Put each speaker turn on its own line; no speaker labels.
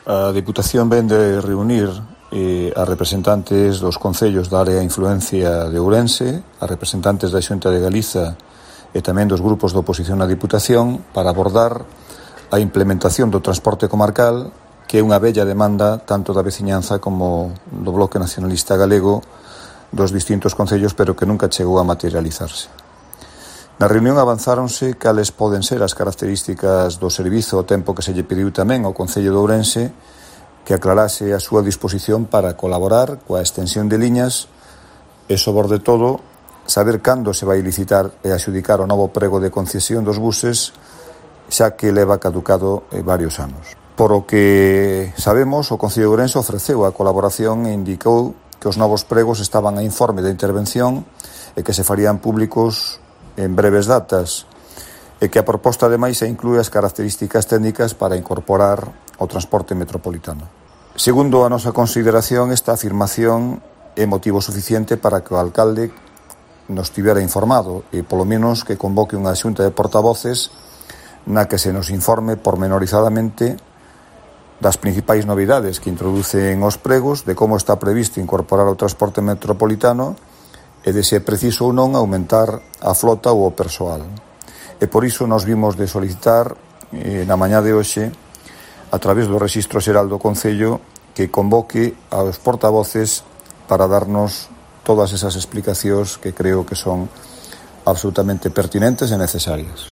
A Deputación ven de reunir a representantes dos concellos da área de influencia de Ourense, a representantes da Xunta de Galiza e tamén dos grupos de oposición na Deputación para abordar a implementación do transporte comarcal, que é unha bella demanda tanto da veciñanza como do Bloque Nacionalista Galego dos distintos concellos, pero que nunca chegou a materializarse. Na reunión avanzáronse cales poden ser as características do servizo ao tempo que se lle pediu tamén ao Concello de Ourense que aclarase a súa disposición para colaborar coa extensión de liñas e, sobre todo, saber cando se vai licitar e adxudicar o novo prego de concesión dos buses, xa que leva caducado varios anos. Por o que sabemos, o Concello de Ourense ofreceu a colaboración e indicou que os novos pregos estaban a informe de intervención e que se farían públicos en breves datas e que a proposta ademais inclúe as características técnicas para incorporar o transporte metropolitano. Segundo a nosa consideración, esta afirmación é motivo suficiente para que o alcalde nos tivera informado e polo menos que convoque unha xunta de portavoces na que se nos informe pormenorizadamente das principais novidades que introducen os pregos, de como está previsto incorporar o transporte metropolitano e de se é preciso ou non aumentar a flota ou o persoal. E por iso nos vimos de solicitar na mañá de hoxe, a través do Rexistro Xeral do Concello, que convoque aos portavoces para darnos todas esas explicacións que creo que son absolutamente pertinentes e necesarias.